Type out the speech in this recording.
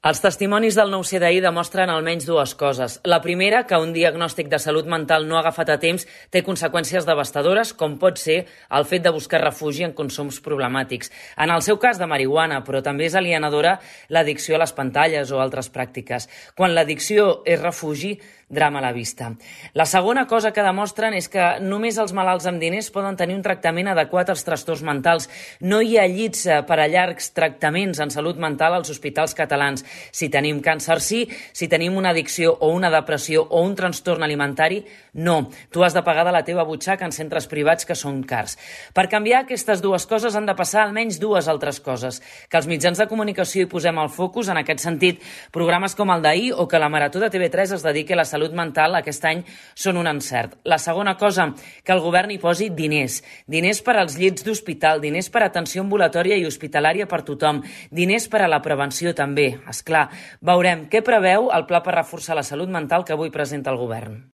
Els testimonis del 9C d'ahir demostren almenys dues coses. La primera, que un diagnòstic de salut mental no agafat a temps té conseqüències devastadores, com pot ser el fet de buscar refugi en consums problemàtics. En el seu cas de marihuana, però també és alienadora l'addicció a les pantalles o altres pràctiques. Quan l'addicció és refugi, drama a la vista. La segona cosa que demostren és que només els malalts amb diners poden tenir un tractament adequat als trastorns mentals. No hi ha llits per a llargs tractaments en salut mental als hospitals catalans. Si tenim càncer, sí. Si tenim una addicció o una depressió o un trastorn alimentari, no. Tu has de pagar de la teva butxaca en centres privats que són cars. Per canviar aquestes dues coses han de passar almenys dues altres coses. Que els mitjans de comunicació hi posem el focus, en aquest sentit, programes com el d'ahir o que la Marató de TV3 es dediqui a la salut mental aquest any són un encert. La segona cosa, que el govern hi posi diners. Diners per als llits d'hospital, diners per a atenció ambulatòria i hospitalària per tothom, diners per a la prevenció també. És clar, veurem què preveu el pla per reforçar la salut mental que avui presenta el govern.